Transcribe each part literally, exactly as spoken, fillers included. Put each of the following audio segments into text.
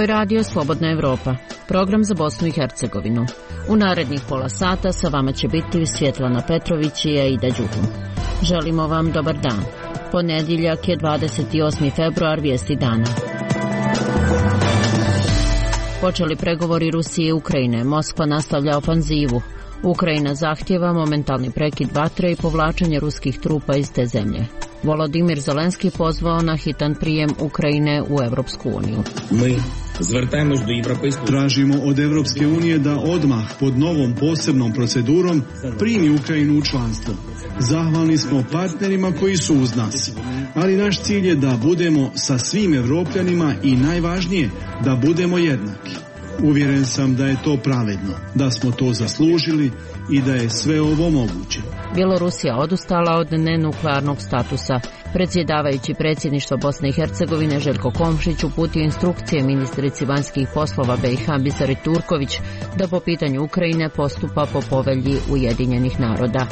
je Radio Slobodna Evropa, program za Bosnu i Hercegovinu. U narednih pola sata sa vama će biti Svjetlana Petrović i Aida Đuhum. Želimo vam dobar dan. Ponedjeljak je dvadeset osmi februar, vijesti dana. Počeli pregovori Rusije i Ukrajine, Moskva nastavlja ofanzivu. Ukrajina zahtjeva momentalni prekid vatre i povlačenje ruskih trupa iz te zemlje. Volodimir Zelenski pozvao na hitan prijem Ukrajine u Evropsku uniju. Mi tražimo od Evropske unije da odmah pod novom posebnom procedurom primi Ukrajinu u članstvo. Zahvalni smo partnerima koji su uz nas, ali naš cilj je da budemo sa svim Evropljanima i najvažnije da budemo jednaki. Uvjeren sam da je to pravedno, da smo to zaslužili i da je sve ovo moguće. Bjelorusija odustala od nenuklearnog statusa. Predsjedavajući predsjedništva Bosne i Hercegovine Željko Komšić uputio instrukcije ministrici vanjskih poslova B i H Biseri Turković da po pitanju Ukrajine postupa po povelji Ujedinjenih naroda.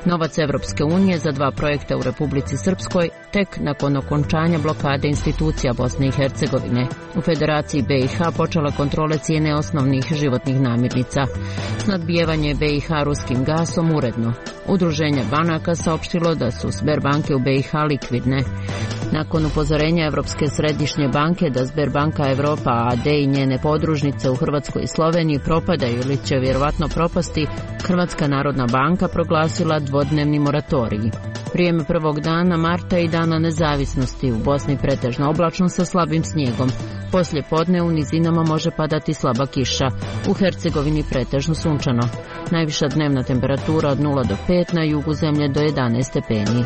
Novac Evropske unije za dva projekta u Republici Srpskoj tek nakon okončanja blokade institucija Bosne i Hercegovine. U Federaciji B i H počela kontrole cijene osnovnih životnih namirnica. Snadbijevanje B i H ruskim gasom uredno. Udruženje banaka saopštilo da su Sberbanke u B i H likvidne. Nakon upozorenja Evropske središnje banke da Sberbanka Evropa a d i njene podružnice u Hrvatskoj i Sloveniji propadaju ili će vjerovatno propasti, Hrvatska narodna banka proglasila dvodnevni moratorij. Vrijeme prvog dana marta i dana nezavisnosti u Bosni pretežno oblačno sa slabim snijegom. Poslije podne u nizinama može padati slaba kiša. U Hercegovini pretežno sunčano. Najviša dnevna temperatura od nula do pet, na jugu zemlje do jedanaest stepeni.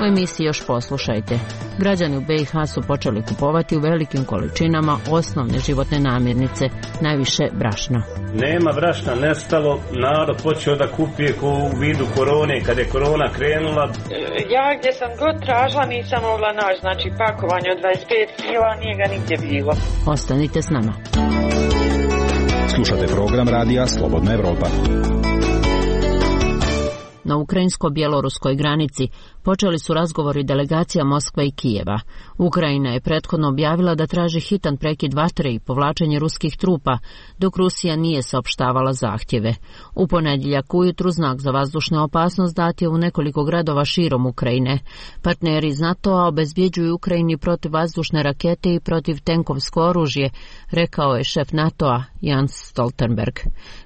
U emisiji još poslušajte. Građani u B i H su počeli kupovati u velikim količinama osnovne životne namirnice, najviše brašna. Nema brašna, nestalo, narod počeo da kupije u vidu korone, kada je korona krenula. Ja gdje sam god tražila nisam mogla naći, znači pakovanje od dvadeset pet kila, nije ga nigdje bilo. Ostanite s nama. Slušate program Radija Slobodna Evropa. Na ukrajinsko-bjeloruskoj granici počeli su razgovori delegacija Moskva i Kijeva. Ukrajina je prethodno objavila da traži hitan prekid vatre i povlačenje ruskih trupa, dok Rusija nije saopštavala zahtjeve. U ponedjeljak ujutru znak za vazdušnu opasnost dat je u nekoliko gradova širom Ukrajine. Partneri iz NATO-a obezbjeđuju Ukrajini protivvazdušne rakete i protivtenkovsko oružje, rekao je šef NATO-a Jens Stoltenberg.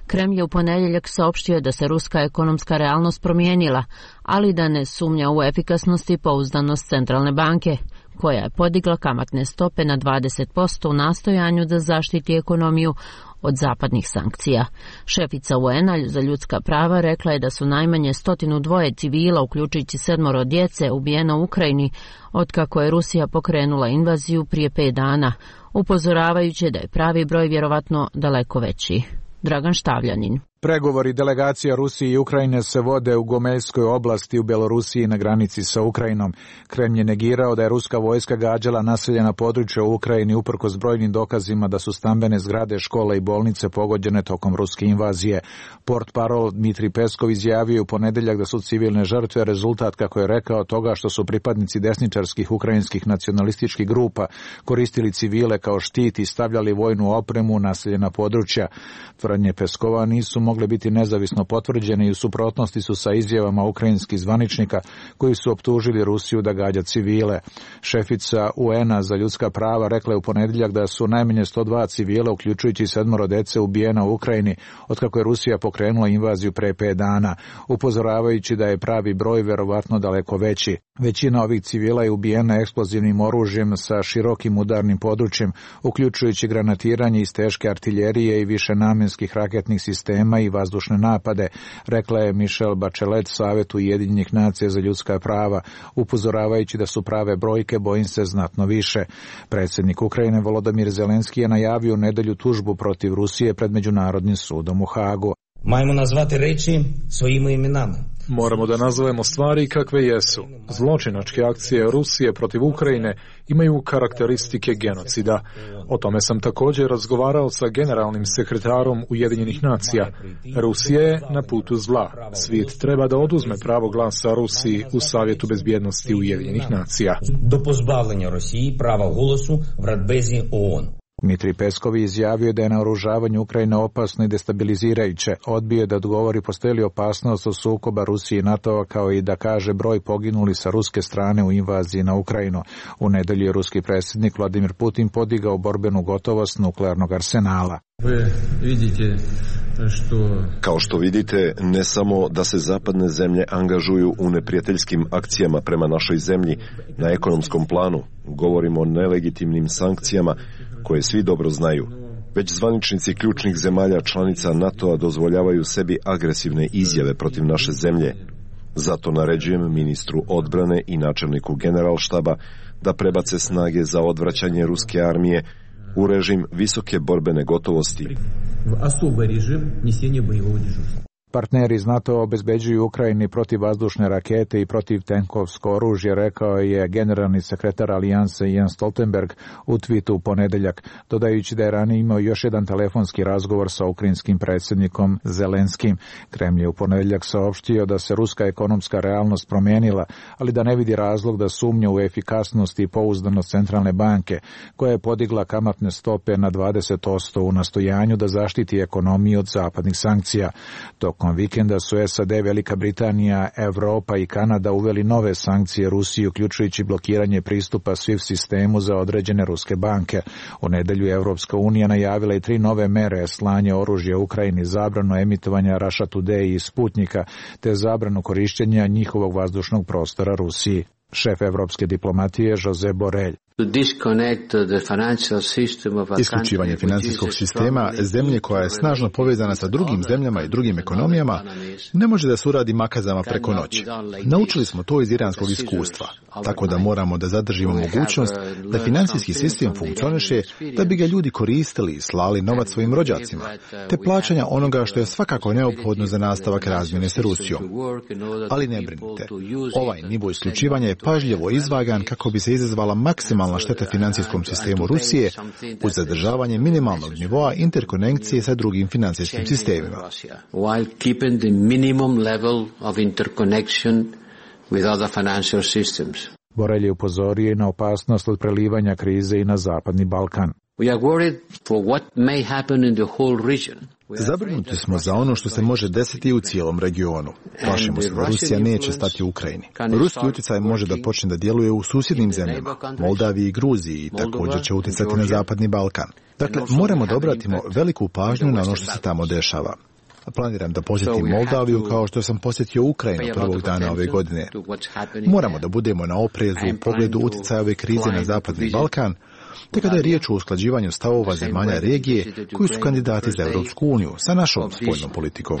Kremlj je u ponedjeljak saopštio da se ruska ekonomska realnost promijenila, ali da ne sumnja u efikasnost i pouzdanost centralne banke, koja je podigla kamatne stope na dvadeset posto u nastojanju da zaštiti ekonomiju od zapadnih sankcija. Šefica U N a za ljudska prava rekla je da su najmanje stotinu dvoje civila, uključujući sedmoro djece, ubijeno u Ukrajini, otkako je Rusija pokrenula invaziju prije pet dana, upozoravajući da je pravi broj vjerovatno daleko veći. Dragan Štavljanin. Pregovori delegacija Rusije i Ukrajine se vode u Gomeljskoj oblasti u Bjelorusiji na granici sa Ukrajinom. Kremlj je negirao da je ruska vojska gađala naseljena područja u Ukrajini uprkos brojnim dokazima da su stambene zgrade, škole i bolnice pogođene tokom ruske invazije. Portparol Dmitrij Peskov izjavio u ponedjeljak da su civilne žrtve rezultat, kako je rekao, toga što su pripadnici desničarskih ukrajinskih nacionalističkih grupa koristili civile kao štit i stavljali vojnu opremu u naseljena područja. Tvrdnje Peskova nisu mogle biti nezavisno potvrđene i u suprotnosti su sa izjavama ukrajinskih zvaničnika koji su optužili Rusiju da gađa civile. Šefica U N a za ljudska prava rekla je u ponedjeljak da su najmanje sto dva civila, uključujući sedmoro djece, ubijena u Ukrajini otkako je Rusija pokrenula invaziju pre pet dana, upozoravajući da je pravi broj vjerovatno daleko veći. Većina ovih civila je ubijena eksplozivnim oružjem sa širokim udarnim područjem, uključujući granatiranje iz teške artiljerije i više namenskih raketnih sistema i vazdušne napade, rekla je Michelle Bachelet Savetu Ujedinjenih nacija za ljudska prava, upozoravajući da su prave brojke, bojim se, znatno više. Predsjednik Ukrajine Volodimir Zelenski je najavio u nedjelju tužbu protiv Rusije pred Međunarodnim sudom u Hagu. Majmo nazvati reči svojim imenama. Moramo da nazovemo stvari kakve jesu. Zločinačke akcije Rusije protiv Ukrajine imaju karakteristike genocida. O tome sam također razgovarao sa generalnim sekretarom Ujedinjenih nacija. Rusija je na putu zla. Svijet treba da oduzme pravo glasa Rusiji u Savjetu bezbjednosti Ujedinjenih nacija. Do pozbavljanja Rusiji prava golosu v Radbezi O N. Dmitrij Peskov izjavio da je naoružavanje Ukrajine opasno i destabilizirajuće. Odbio je da odgovori postoji li opasnost od sukoba Rusije i NATO-a, kao i da kaže broj poginuli sa ruske strane u invaziji na Ukrajinu. U nedelju je ruski predsjednik Vladimir Putin podigao borbenu gotovost nuklearnog arsenala. Kao što vidite, ne samo da se zapadne zemlje angažuju u neprijateljskim akcijama prema našoj zemlji na ekonomskom planu, govorimo o nelegitimnim sankcijama koje svi dobro znaju, već zvaničnici ključnih zemalja članica NATO-a dozvoljavaju sebi agresivne izjave protiv naše zemlje. Zato naređujem ministru odbrane i načelniku generalštaba da prebace snage za odvraćanje ruske armije u režim visoke borbene gotovosti. Partneri iz NATO obezbeđuju Ukrajini protivvazdušne rakete i protivtenkovsko oružje, rekao je generalni sekretar Alijanse Jens Stoltenberg u twitu u ponedeljak, dodajući da je ranije imao još jedan telefonski razgovor sa ukrajinskim predsjednikom Zelenskim. Kremlj je u ponedeljak saopštio da se ruska ekonomska realnost promijenila, ali da ne vidi razlog da sumnja u efikasnost i pouzdanost centralne banke, koja je podigla kamatne stope na dvadeset posto u nastojanju da zaštiti ekonomiju od zapadnih sankcija. Tokom vikenda su S A D, Velika Britanija, Evropa i Kanada uveli nove sankcije Rusiji, uključujući blokiranje pristupa SWIFT sistemu za određene ruske banke. U nedelju je Evropska unija najavila i tri nove mere: slanje oružja Ukrajini, zabranu emitovanja Russia Today i Sputnika, te zabranu korištenja njihovog vazdušnog prostora Rusiji. Šef evropske diplomatije Josep Borrell. Isključivanje financijskog sistema zemlje koja je snažno povezana sa drugim zemljama i drugim ekonomijama ne može da se uradi makazama preko noći. Naučili smo to iz iranskog iskustva, tako da moramo da zadržimo mogućnost da financijski sistem funkcioniše, da bi ga ljudi koristili i slali novac svojim rođacima, te plaćanja onoga što je svakako neophodno za nastavak razmjene sa Rusijom. Ali ne brinite, ovaj nivo isključivanja je pažljivo izvagan kako bi se izazvala maksimalna šteta financijskom sistemu Rusije uz zadržavanje minimalnog nivoa interkonekcije sa drugim financijskim sistemima. Borrell je upozorio i na opasnost od prelivanja krize i na Zapadni Balkan. Zabrinuti smo za ono što se može desiti u cijelom regionu. Plašimo se da Rusija neće stati u Ukrajini. Ruski utjecaj može da počne da djeluje u susjednim zemljama, Moldaviji i Gruziji, i također će utjecati na Zapadni Balkan. Dakle, moramo da obratimo veliku pažnju na ono što se tamo dešava. Planiram da posjetim Moldaviju kao što sam posjetio Ukrajinu prvog dana ove godine. Moramo da budemo na oprezu u pogledu utjecaja ove krize na Zapadni Balkan, te kada je riječ o usklađivanju stavova zemalja regije koji su kandidati za Europsku uniju sa našom spoljnom politikom.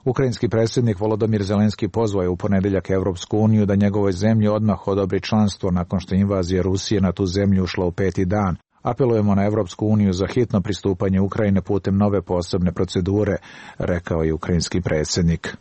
Ukrajinski predsjednik Volodymyr Zelenski pozvao je u ponedeljak Europsku uniju da njegovoj zemlji odmah odobri članstvo nakon što je invazija Rusije na tu zemlju ušla u peti dan. Apelujemo na Europsku uniju za hitno pristupanje Ukrajine putem nove posebne procedure, rekao je ukrajinski predsjednik.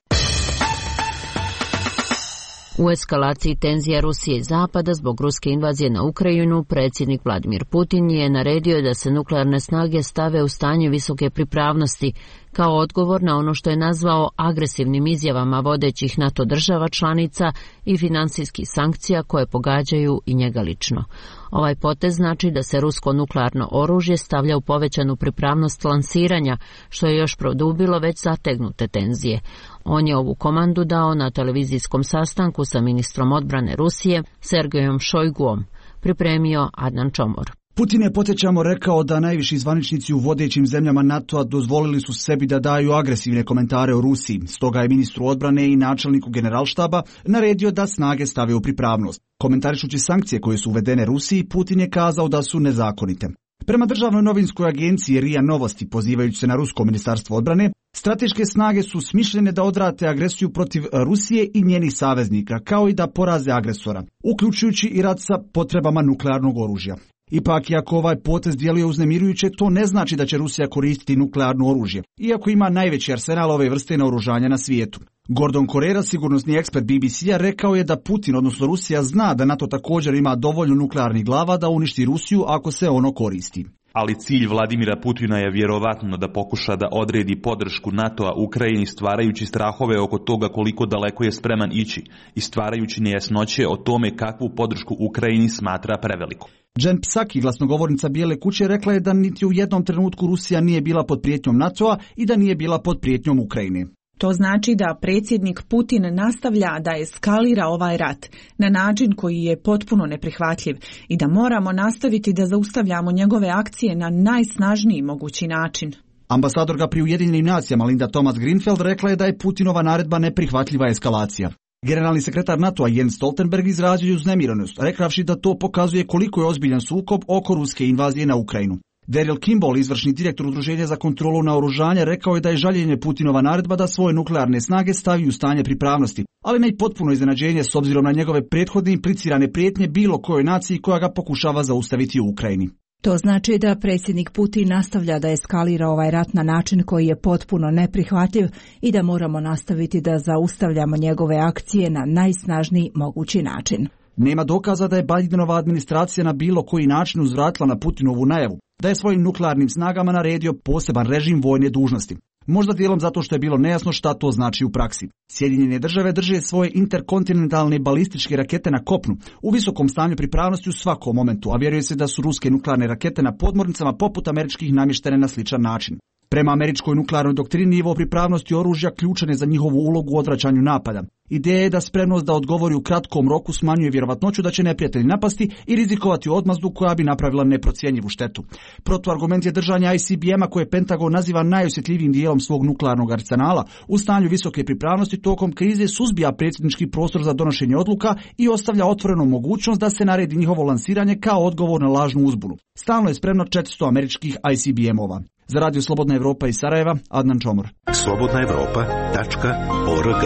U eskalaciji tenzija Rusije i Zapada zbog ruske invazije na Ukrajinu, predsjednik Vladimir Putin je naredio da se nuklearne snage stave u stanje visoke pripravnosti, kao odgovor na ono što je nazvao agresivnim izjavama vodećih NATO država članica i financijskih sankcija koje pogađaju i njega lično. Ovaj potez znači da se rusko nuklearno oružje stavlja u povećanu pripravnost lansiranja, što je još produbilo već zategnute tenzije. On je ovu komandu dao na televizijskom sastanku sa ministrom odbrane Rusije Sergejom Šojguom, pripremio Adnan Čomor. Putin je, podsjećamo, rekao da najviši zvaničnici u vodećim zemljama NATO-a dozvolili su sebi da daju agresivne komentare o Rusiji. Stoga je ministru odbrane i načelniku generalštaba naredio da snage stave u pripravnost. Komentarišući sankcije koje su uvedene Rusiji, Putin je kazao da su nezakonite. Prema državnoj novinskoj agenciji R I A Novosti, pozivajući se na rusko ministarstvo odbrane, strateške snage su smišljene da odrate agresiju protiv Rusije i njenih saveznika, kao i da poraze agresora, uključujući i rat sa potrebama nuklearnog oružja. Ipak, iako ovaj potez djeluje uznemirujuće, to ne znači da će Rusija koristiti nuklearno oružje, iako ima najveći arsenal ove vrste naoružanja na svijetu. Gordon Correra, sigurnosni ekspert B B C-a, rekao je da Putin, odnosno Rusija, zna da NATO također ima dovoljno nuklearnih glava da uništi Rusiju ako se ono koristi. Ali cilj Vladimira Putina je vjerovatno da pokuša da odredi podršku NATO-a Ukrajini stvarajući strahove oko toga koliko daleko je spreman ići i stvarajući nejasnoće o tome kakvu podršku Ukrajini smatra prevelikom. Jen Psaki, glasnogovornica Bijele kuće, rekla je da niti u jednom trenutku Rusija nije bila pod prijetnjom NATO-a i da nije bila pod prijetnjom Ukrajine. To znači da predsjednik Putin nastavlja da eskalira ovaj rat na način koji je potpuno neprihvatljiv i da moramo nastaviti da zaustavljamo njegove akcije na najsnažniji mogući način. Ambasadorka pri Ujedinjenim nacijama Linda Thomas-Greenfield rekla je da je Putinova naredba neprihvatljiva eskalacija. Generalni sekretar NATO-a Jens Stoltenberg izrazio uznemirenost, rekavši da to pokazuje koliko je ozbiljan sukob oko ruske invazije na Ukrajinu. Daryl Kimball, izvršni direktor Udruženja za kontrolu naoružanja, rekao je da je žaljenje Putinova naredba da svoje nuklearne snage stavi u stanje pripravnosti, ali ne i potpuno iznenađenje s obzirom na njegove prethodne implicirane prijetnje bilo kojoj naciji koja ga pokušava zaustaviti u Ukrajini. To znači da predsjednik Putin nastavlja da eskalira ovaj rat na način koji je potpuno neprihvatljiv i da moramo nastaviti da zaustavljamo njegove akcije na najsnažniji mogući način. Nema dokaza da je Bidenova administracija na bilo koji način uzvratila na Putinovu najavu, da je svojim nuklearnim snagama naredio poseban režim vojne dužnosti. Možda dijelom zato što je bilo nejasno šta to znači u praksi. Sjedinjene države drže svoje interkontinentalne balističke rakete na kopnu, u visokom stanju pripravnosti u svakom momentu, a vjeruje se da su ruske nuklearne rakete na podmornicama poput američkih namještene na sličan način. Prema američkoj nuklearnoj doktrini, nivo pripravnosti oružja ključan je za njihovu ulogu u odvraćanju napada. Ideja je da spremnost da odgovori u kratkom roku smanjuje vjerovatnoću da će neprijatelj napasti i rizikovati odmazdu koja bi napravila neprocjenjivu štetu. Protuargument je držanja I C B M-a koje Pentagon naziva najosjetljivijim dijelom svog nuklearnog arsenala. U stanju visoke pripravnosti tokom krize suzbija predsjednički prostor za donošenje odluka i ostavlja otvorenu mogućnost da se naredi njihovo lansiranje kao odgovor na lažnu uzbunu. Stalno je spremno četiristo američkih I C B M-ova. Za Radio Slobodna Evropa iz Sarajeva, Adnan Čomor. slobodna evropa tačka org.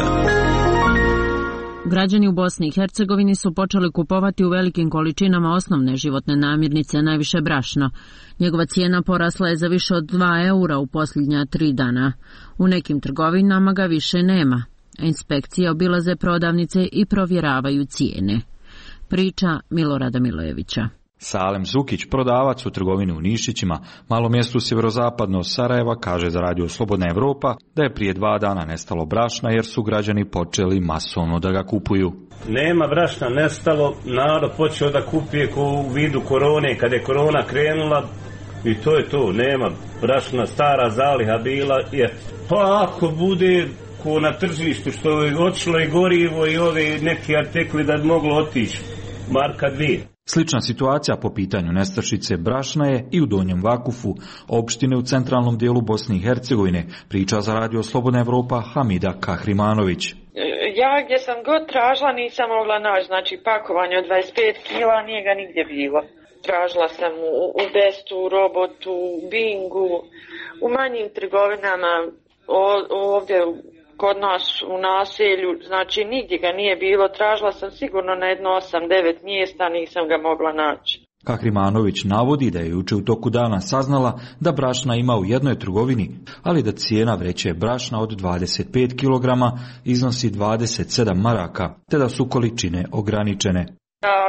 Građani u Bosni i Hercegovini su počeli kupovati u velikim količinama osnovne životne namirnice, najviše brašno. Njegova cijena porasla je za više od dva eura u posljednja tri dana. U nekim trgovinama ga više nema. Inspekcije obilaze prodavnice i provjeravaju cijene. Priča Milorada Milojevića. Salem Zukić, prodavac u trgovini u Nišićima, malom mjestu sjeverozapadno od Sarajeva, kaže za Radio Slobodna Evropa da je prije dva dana nestalo brašna jer su građani počeli masovno da ga kupuju. Nema brašna, nestalo, narod počeo da kupuje ko u vidu korone, kada je korona krenula i to je to, nema brašna, stara zaliha bila, je. Pa ako bude ko na tržištu što je otišlo i gorivo i ove neki artikli da bi moglo otići, marka dvije. Slična situacija po pitanju nestašice brašna je i u Donjem Vakufu, opštine u centralnom dijelu Bosne i Hercegovine, priča za Radio Slobodna Evropa Hamida Kahrimanović. Ja gdje sam god tražila nisam mogla naći, znači pakovanje od dvadeset pet kila, nije ga nigdje bilo. Tražila sam u, u Bestu, u Robotu, u Bingu, u manjim trgovinama, o, ovdje kod nas u naselju, znači nigdje ga nije bilo, tražila sam sigurno na jedno osam devet mjesta, nisam ga mogla naći. Kahrimanović navodi da je juče u toku dana saznala da brašna ima u jednoj trgovini, ali da cijena vreće brašna od dvadeset pet kilograma iznosi dvadeset sedam maraka, te da su količine ograničene.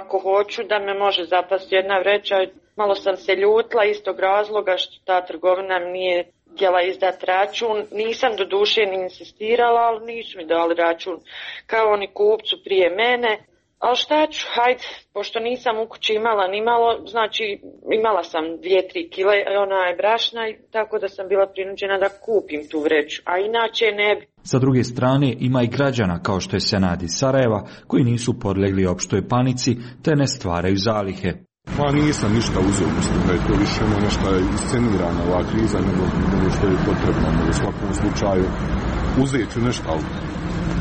Ako hoću da me može zapasti jedna vreća, malo sam se ljutila istog razloga što ta trgovina nije htjela izdati račun, nisam do duše ni insistirala, ali nisu mi dali račun kao oni kupcu prije mene. Ali šta ću, hajde, pošto nisam u kući imala ni malo, znači imala sam dvije, tri kile onaj brašna, tako da sam bila prinuđena da kupim tu vreću, a inače ne bi. Sa druge strane ima i građana kao što je Senad iz Sarajeva koji nisu podlegli opštoj panici te ne stvaraju zalihe. Pa nisam ništa uzeo, mislim da je to više ono nešto iscenirana ova kriza nego, nego što je potrebno, u svakom slučaju uzet ću nešto, ali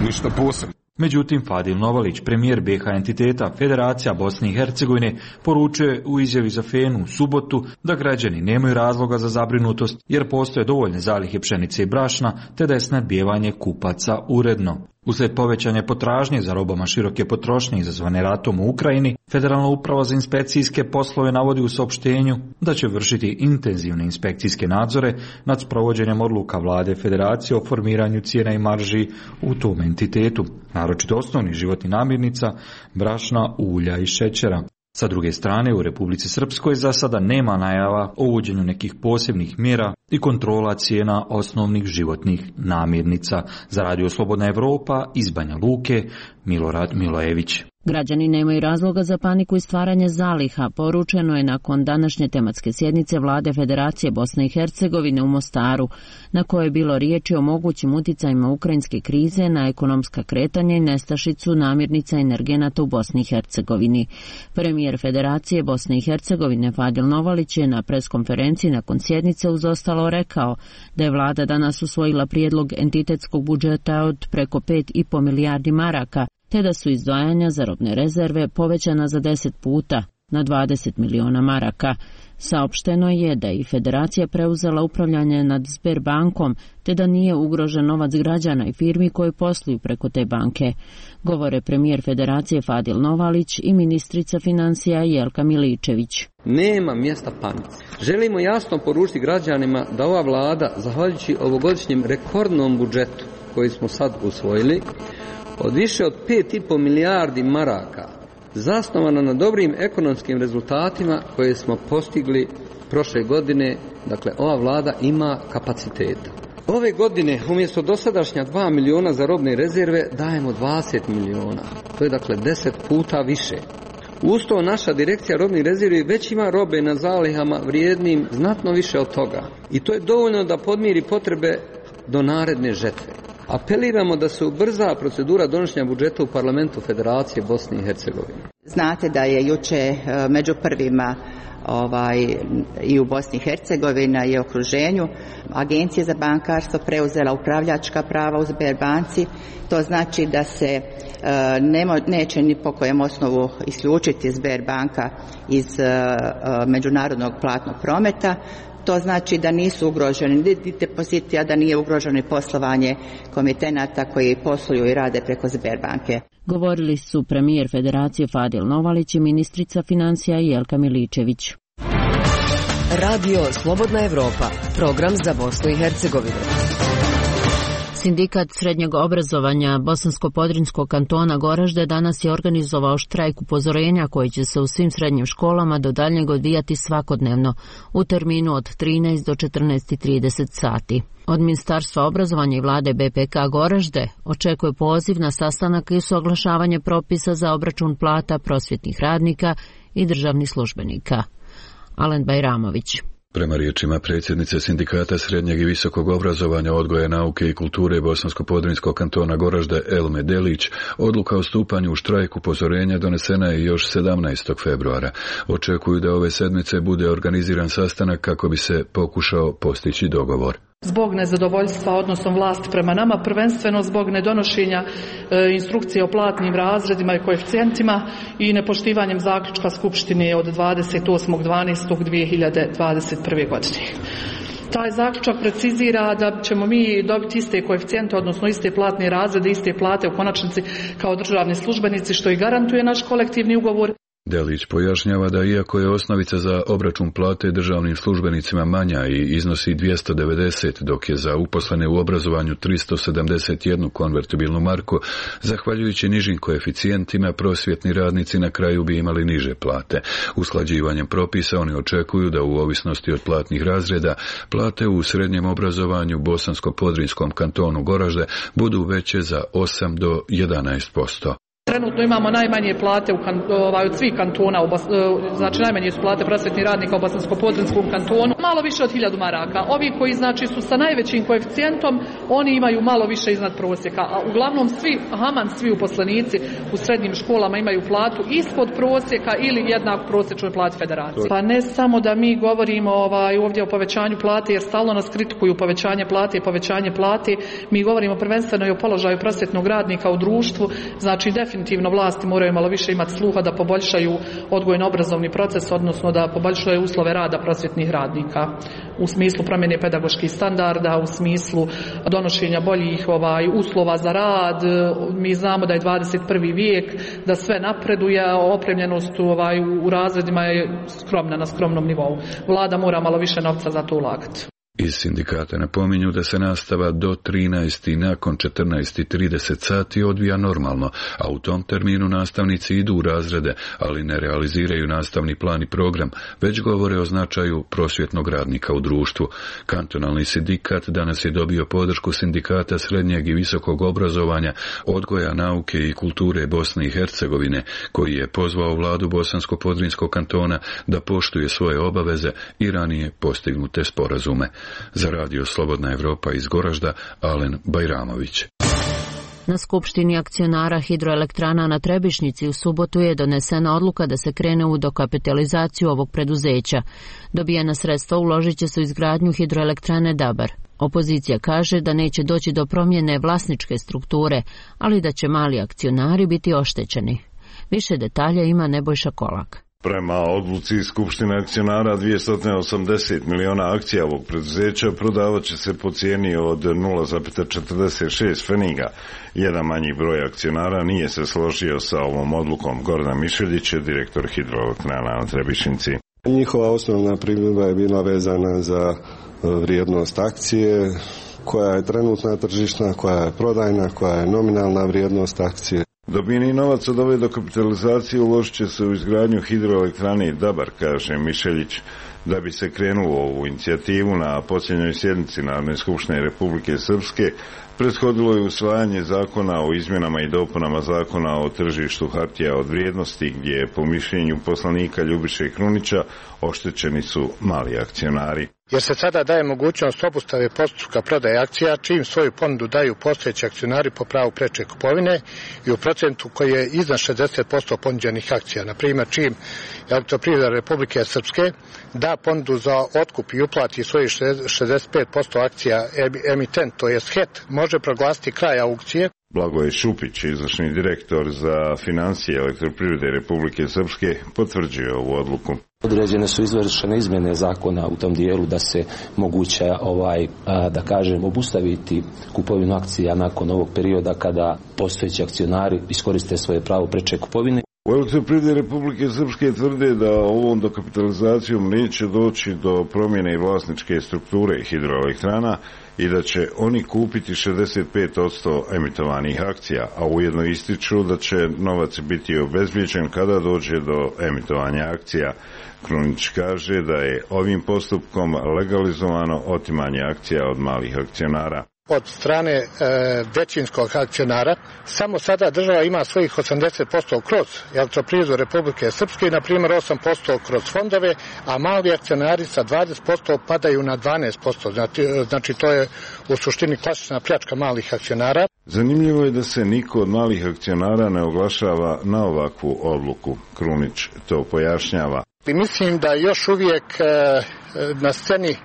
ništa posebno. Međutim, Fadil Novalić, premijer B H entiteta Federacija Bosne i Hercegovine, poručuje u izjavi za Fenu u subotu da građani nemaju razloga za zabrinutost jer postoje dovoljne zalihe pšenice i brašna te da je snadbijevanje kupaca uredno. Uslijed povećanja potražnje za robama široke potrošnje izazvane ratom u Ukrajini, Federalna uprava za inspekcijske poslove navodi u saopštenju da će vršiti intenzivne inspekcijske nadzore nad sprovođenjem odluka vlade Federacije o formiranju cijena i marži u tom entitetu, naročito osnovnih životnih namirnica, brašna, ulja i šećera. Sa druge strane, u Republici Srpskoj za sada nema najava o uvođenju nekih posebnih mjera i kontrola cijena osnovnih životnih namirnica. Za Radio Slobodna Evropa iz Banja Luke, Milorad Milojević. Građani nemaju razloga za paniku i stvaranje zaliha, poručeno je nakon današnje tematske sjednice vlade Federacije Bosne i Hercegovine u Mostaru, na kojoj je bilo riječi o mogućim uticajima ukrajinske krize na ekonomska kretanja i nestašicu namirnica i energenata u Bosni i Hercegovini. Premijer Federacije Bosne i Hercegovine Fadil Novalić je na preskonferenciji nakon sjednice uz ostalo rekao da je vlada danas usvojila prijedlog entitetskog budžeta od preko pet i po milijardi maraka, te da su izdvajanja za robne rezerve povećana za deset puta na dvadeset miliona maraka. Saopšteno je da je i Federacija preuzela upravljanje nad Sberbankom, te da nije ugrožen novac građana i firmi koji posluju preko te banke. Govore premijer Federacije Fadil Novalić i ministrica financija Jelka Miličević. Nema mjesta panici. Želimo jasno poručiti građanima da ova vlada, zahvaljujući ovogodišnjem rekordnom budžetu koji smo sad usvojili, od više od pet i po milijardi maraka, zasnovana na dobrim ekonomskim rezultatima koje smo postigli prošle godine, dakle ova vlada ima kapaciteta. Ove godine umjesto dosadašnja dva miliona za robne rezerve dajemo dvadeset miliona. To je dakle deset puta više. Uz to naša direkcija robnih rezervi već ima robe na zalihama vrijednim znatno više od toga. I to je dovoljno da podmiri potrebe do naredne žetve. Apeliramo da se ubrza procedura donošenja budžeta u Parlamentu Federacije Bosne i Hercegovine. Znate da je juče među prvima ovaj, i u Bosni i Hercegovini i okruženju Agencija za bankarstvo preuzela upravljačka prava u Sberbanci. To znači da se nemo, neće ni po kojem osnovu isključiti Sberbanka iz međunarodnog platnog prometa. To znači da nisu ugroženi ni depoziti, a da nije ugroženo i poslovanje komitenata koji posluju i rade preko Sberbanke. Govorili su premijer Federacije Fadil Novalić i ministrica financija Jelka Miličević. Radio Slobodna Evropa, program za Bosnu i Hercegovinu. Sindikat srednjeg obrazovanja Bosansko-Podrinjskog kantona Goražde danas je organizovao štrajk upozorenja koji će se u svim srednjim školama do daljnjeg odvijati svakodnevno u terminu od trinaest do četrnaest i trideset sati. Od Ministarstva obrazovanja i vlade B P K Goražde očekuje poziv na sastanak i usaglašavanje propisa za obračun plata prosvjetnih radnika i državnih službenika. Alen Bajramović. Prema riječima predsjednice Sindikata srednjeg i visokog obrazovanja, odgoja, nauke i kulture Bosansko-Podrinjskog kantona Goražde Elme Delić, odluka o stupanju u štrajk upozorenja donesena je još sedamnaestog februara. Očekuju da ove sedmice bude organiziran sastanak kako bi se pokušao postići dogovor. Zbog nezadovoljstva odnosom vlasti prema nama, prvenstveno zbog nedonošenja e, instrukcije o platnim razredima i koeficijentima i nepoštivanjem zaključka Skupštine od dvadeset osmog dvanaestog dvije hiljade dvadeset prve. godine. Taj zaključak precizira da ćemo mi dobiti iste koeficijente, odnosno iste platne razrede, iste plate u konačnici kao državni službenici, što i garantuje naš kolektivni ugovor. Delić pojašnjava da iako je osnovica za obračun plate državnim službenicima manja i iznosi dvjesto devedeset, dok je za uposlene u obrazovanju tristo sedamdeset jednu konvertibilnu marku, zahvaljujući nižim koeficijentima prosvjetni radnici na kraju bi imali niže plate. Usklađivanjem propisa oni očekuju da u ovisnosti od platnih razreda plate u srednjem obrazovanju Bosansko-Podrinjskom kantonu Goražde budu veće za osam do jedanaest posto. Trenutno imamo najmanje plate u kan, ovaj, od svih kantona, u Bos, znači najmanje su plate prosvjetnih radnika u Bosansko-Podrinjskom kantonu, malo više od hiljadu maraka. Ovi koji znači su sa najvećim koeficijentom, oni imaju malo više iznad prosjeka, a uglavnom svi, haman svi uposlenici u srednjim školama imaju platu ispod prosjeka ili jednak prosječnoj plati federacije. Pa ne samo da mi govorimo ovaj, ovdje o povećanju plate, jer stalno nas kritikuju povećanje plate i povećanje plate, mi govorimo prvenstveno i o položaju prosvjetnog radnika u društvu, znači definitivno definitivno vlasti moraju malo više imati sluha da poboljšaju odgojno-obrazovni proces, odnosno da poboljšaju uslove rada prosvjetnih radnika u smislu promjene pedagoških standarda, u smislu donošenja boljih ovaj, uslova za rad. Mi znamo da je dvadeset prvi vijek, da sve napreduje, a opremljenost ovaj, u razredima je skromna, na skromnom nivou. Vlada mora malo više novca za to ulagati. Iz sindikata napominju da se nastava do trinaest i nakon četrnaest i trideset sati odvija normalno, a u tom terminu nastavnici idu u razrede, ali ne realiziraju nastavni plan i program, već govore o značaju prosvjetnog radnika u društvu. Kantonalni sindikat danas je dobio podršku sindikata srednjeg i visokog obrazovanja, odgoja, nauke i kulture Bosne i Hercegovine, koji je pozvao vladu Bosansko-Podrinjskog kantona da poštuje svoje obaveze i ranije postignute sporazume. Za radio Slobodna Evropa iz Goražda, Alen Bajramović. Na skupštini akcionara hidroelektrana na Trebišnjici u subotu je donesena odluka da se krene u dokapitalizaciju ovog preduzeća. Dobijena sredstva uložit će se u izgradnju hidroelektrane Dabar. Opozicija kaže da neće doći do promjene vlasničke strukture, ali da će mali akcionari biti oštećeni. Više detalja ima Nebojša Kolak. Prema odluci Skupštine akcionara dvjesto osamdeset miliona akcija ovog preduzeća prodavat će se po cijeni od nula zarez četrdeset šest pfeniga. Jedan manji broj akcionara nije se složio sa ovom odlukom. Gordan Mišeljić je direktor hidroelektrana na Trebišnjici. Njihova osnovna primjedba je bila vezana za vrijednost akcije, koja je trenutna tržišna, koja je prodajna, koja je nominalna vrijednost akcije. Dobijeni novac od ove dokapitalizacije uložit će se u izgradnju hidroelektrane Dabar, kaže Mišeljić. Da bi se krenulo ovu inicijativu na posljednjoj sjednici Narodne skupštine Republike Srpske, prethodilo je usvajanje zakona o izmjenama i dopunama zakona o tržištu hartija od vrijednosti, gdje po mišljenju poslanika Ljubiše Krunića oštećeni su mali akcionari. Jer se sada daje mogućnost obustave postupka prodaje akcija, čim svoju ponudu daju postojeći akcionari po pravu preče kupovine i u procentu koji je iznad šezdeset posto ponuđenih akcija. Na primjer, čim Elektroprivreda Republike Srpske da ponudu za otkup i uplati svojih šezdeset pet posto akcija emitent, to je H E T, može proglasiti kraj aukcije. Blagoje Šupić, izvršni direktor za financije Elektroprivrede Republike Srpske, potvrđuje ovu odluku. Određene su izvršene izmjene zakona u tom dijelu da se moguće ovaj, da kažem, obustaviti kupovinu akcija nakon ovog perioda kada postojeći akcionari iskoriste svoje pravo preče kupovine. U Elektroprivredi Republike Srpske tvrde da ovom dokapitalizacijom neće doći do promjene vlasničke strukture hidroelektrana i da će oni kupiti šezdeset pet posto emitovanih akcija, a ujedno ističu da će novac biti obezbijeđen kada dođe do emitovanja akcija. Krunić kaže da je ovim postupkom legalizovano otimanje akcija od malih akcionara. Od strane e, većinskog akcionara, samo sada država ima svojih osamdeset posto kroz Elektroprivredu Republike Srpske i na primjer osam posto kroz fondove, a mali akcionari sa dvadeset posto padaju na dvanaest posto. Znači, znači to je u suštini klasična pljačka malih akcionara. Zanimljivo je da se niko od malih akcionara ne oglašava na ovakvu odluku. Krunić to pojašnjava. I mislim da još uvijek e, na sceni e,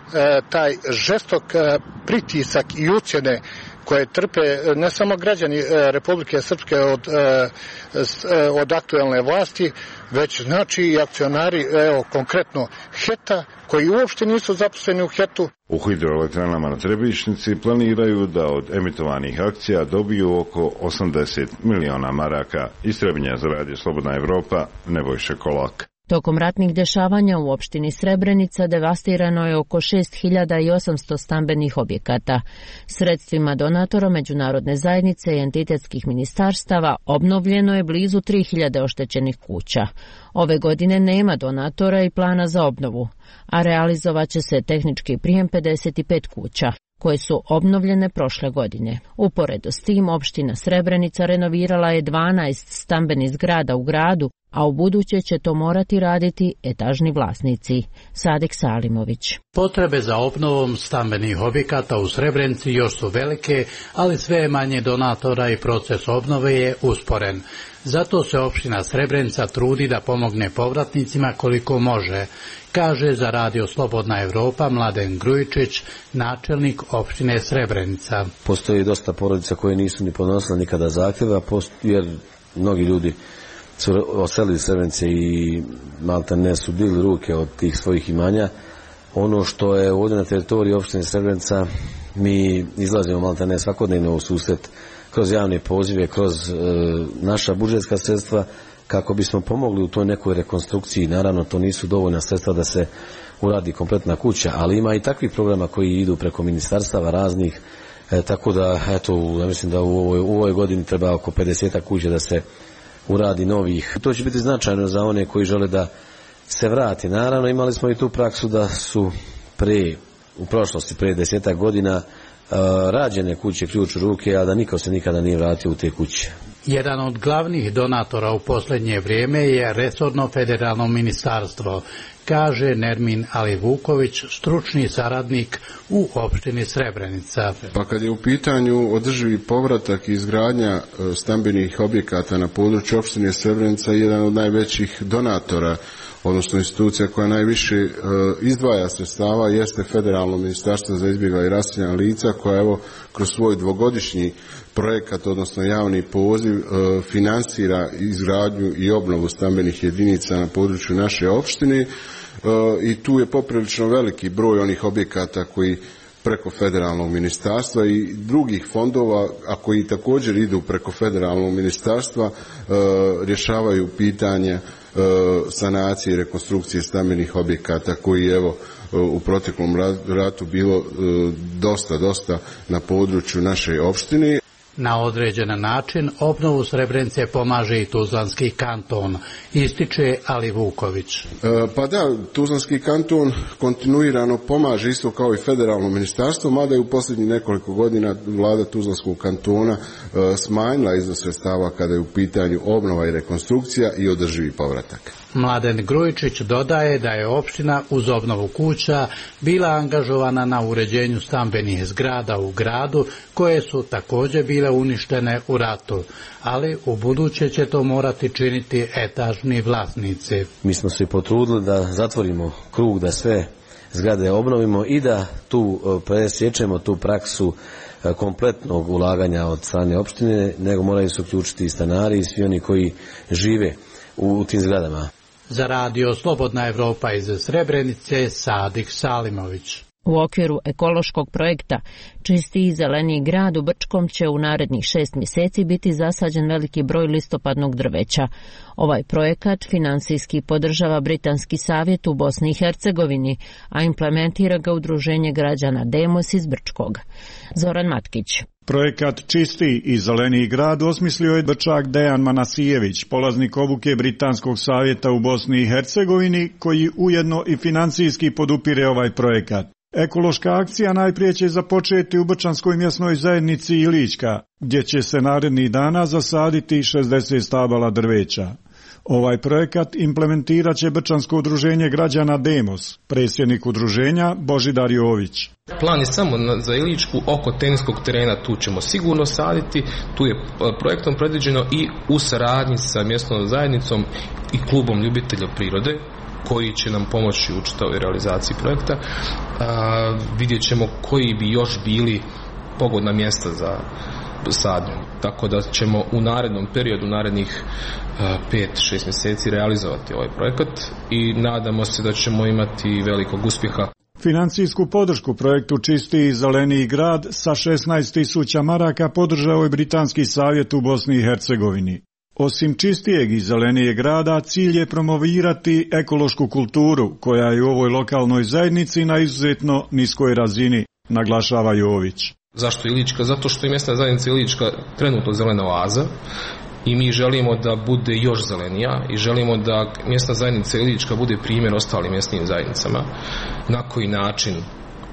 taj žestok e, pritisak i ucjene koje trpe ne samo građani e, Republike Srpske od, e, s, e, od aktuelne vlasti, već znači i akcionari, evo konkretno H E T-a, koji uopšte nisu zaposleni u H E T-u. U hidroelektranama na Trebišnjici planiraju da od emitovanih akcija dobiju oko osamdeset miliona maraka. Iz Trebinja za radio Slobodna Evropa, Nebojša Kolak. Tokom ratnih dešavanja u opštini Srebrenica devastirano je oko šest hiljada osamsto stambenih objekata. Sredstvima donatora međunarodne zajednice i entitetskih ministarstava obnovljeno je blizu tri hiljade oštećenih kuća. Ove godine nema donatora i plana za obnovu, a realizovat će se tehnički prijem pedeset pet kuća, koje su obnovljene prošle godine. Uporedo s tim, opština Srebrenica renovirala je dvanaest stambenih zgrada u gradu, a u buduće će to morati raditi etažni vlasnici. Sadik Salimović. Potrebe za obnovom stambenih objekata u Srebrenici još su velike, ali sve manje donatora i proces obnove je usporen. Zato se opština Srebrenica trudi da pomogne povratnicima koliko može, kaže za radio Slobodna Evropa Mladen Grujičić, načelnik opštine Srebrenica. Postoji dosta porodica koje nisu ni podnosile nikada zahtjeva, jer mnogi ljudi su oselili Srebrenice i malta ne su bili ruke od tih svojih imanja. Ono što je ovdje na teritoriji opštine Srebrenica, mi izlazimo malta ne svakodnevno u susret kroz javne pozive, kroz e, naša budžetska sredstva kako bismo pomogli u toj nekoj rekonstrukciji. Naravno, to nisu dovoljna sredstva da se uradi kompletna kuća, ali ima i takvih programa koji idu preko ministarstava raznih, e, tako da, eto, ja mislim da u ovoj, u ovoj godini treba oko pedeset kuća da se uradi novih. To će biti značajno za one koji žele da se vrati. Naravno, imali smo i tu praksu da su pre, u prošlosti, pre desetak godina, uh, rađene kuće ključ u ruke, a da niko se nikada nije vratio u te kuće. Jedan od glavnih donatora u posljednje vrijeme je resorno federalno ministarstvo, kaže Nermin Alivuković, stručni saradnik u opštini Srebrenica. Pa kad je u pitanju održivi povratak i izgradnja stambenih objekata na području opštine Srebrenica, jedan od najvećih donatora, odnosno institucija koja najviše e, izdvaja sredstava, jeste Federalno ministarstvo za izbjegla i raseljena lica, koja evo kroz svoj dvogodišnji projekat, odnosno javni poziv, e, finansira izgradnju i obnovu stambenih jedinica na području naše opštine, e, i tu je poprilično veliki broj onih objekata koji preko federalnog ministarstva i drugih fondova, a koji također idu preko federalnog ministarstva, e, rješavaju pitanja sanacije i rekonstrukcije stambenih objekata koji evo u proteklom ratu bilo dosta, dosta na području naše opštine. Na određen način obnovu Srebrenice pomaže i Tuzlanski kanton, ističe Alivuković. E, pa da, Tuzlanski kanton kontinuirano pomaže isto kao i federalno ministarstvo, mada je u posljednjih nekoliko godina vlada Tuzlanskog kantona e, smanjila iznos sredstava kada je u pitanju obnova i rekonstrukcija i održivi povratak. Mladen Grujičić dodaje da je opština uz obnovu kuća bila angažovana na uređenju stambenih zgrada u gradu koje su također bile uništene u ratu, ali u buduće će to morati činiti etažni vlasnici. Mi smo se potrudili da zatvorimo krug, da sve zgrade obnovimo i da tu presječemo tu praksu kompletnog ulaganja od strane opštine, nego moraju se uključiti i stanari i svi oni koji žive u tim zgradama. Za radio Slobodna Evropa iz Srebrenice, Sadik Salimović. U okviru ekološkog projekta Čisti i zeleni grad u Brčkom će u narednih šest mjeseci biti zasađen veliki broj listopadnog drveća. Ovaj projekat finansijski podržava Britanski savjet u Bosni i Hercegovini, a implementira ga Udruženje građana Demos iz Brčkog. Zoran Matkić. Projekat Čisti i zeleni grad osmislio je Brčak Dejan Manasijević, polaznik obuke Britanskog savjeta u Bosni i Hercegovini, koji ujedno i financijski podupire ovaj projekat. Ekološka akcija najprije će započeti u Brčanskoj mjesnoj zajednici Ilićka, gdje će se narednih dana zasaditi šezdeset stabala drveća. Ovaj projekat implementirat će Brčansko udruženje građana Demos, predsjednik udruženja Božidar Jović. Plan je samo za Iličku oko teniskog terena, tu ćemo sigurno saditi, tu je projektom predviđeno i u saradnji sa mjesnom zajednicom i klubom ljubitelja prirode, koji će nam pomoći u čitavoj realizaciji projekta. A, vidjet ćemo koji bi još bili pogodna mjesta za sadnju. Tako da ćemo u narednom periodu, narednih pet do šest mjeseci realizovati ovaj projekat i nadamo se da ćemo imati velikog uspjeha. Financijsku podršku projektu Čisti i zeleniji grad sa šesnaest tisuća maraka podržao je Britanski savjet u Bosni i Hercegovini. Osim čistijeg i zelenijeg grada, cilj je promovirati ekološku kulturu, koja je u ovoj lokalnoj zajednici na izuzetno niskoj razini, naglašava Jović. Zašto Ilička? Zato što je mjesna zajednica Ilička trenutno zelena oaza i mi želimo da bude još zelenija i želimo da mjesna zajednica Ilička bude primjer ostalim mjesnim zajednicama. Na koji način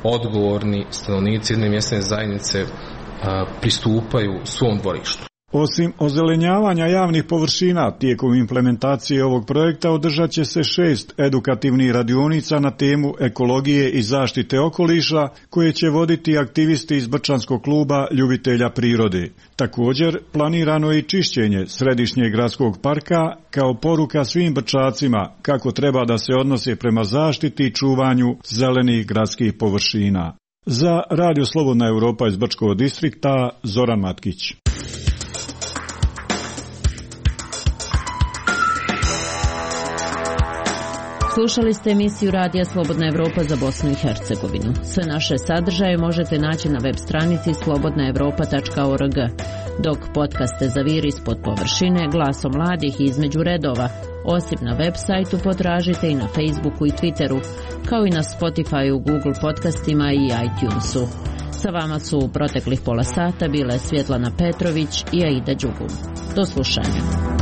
odgovorni stanovnici jedne mjesne zajednice a, pristupaju svom dvorištu. Osim ozelenjavanja javnih površina, tijekom implementacije ovog projekta održat će se šest edukativnih radionica na temu ekologije i zaštite okoliša, koje će voditi aktivisti iz Brčanskog kluba ljubitelja prirode. Također, planirano je i čišćenje središnjeg gradskog parka kao poruka svim Brčacima kako treba da se odnose prema zaštiti i čuvanju zelenih gradskih površina. Za Radio Slobodna Evropa iz Brčkog distrikta, Zoran Matkić. Slušali ste emisiju Radija Slobodna Evropa za Bosnu i Hercegovinu. Sve naše sadržaje možete naći na web stranici slobodna evropa tačka org, dok podcaste Zaviri ispod površine, Glasom mladih i Između redova, osim na web sajtu potražite i na Facebooku i Twitteru, kao i na Spotifyu, Google podcastima i iTunesu. Sa vama su u proteklih pola sata bile Svjetlana Petrović i Aida Đugum. Do slušanja.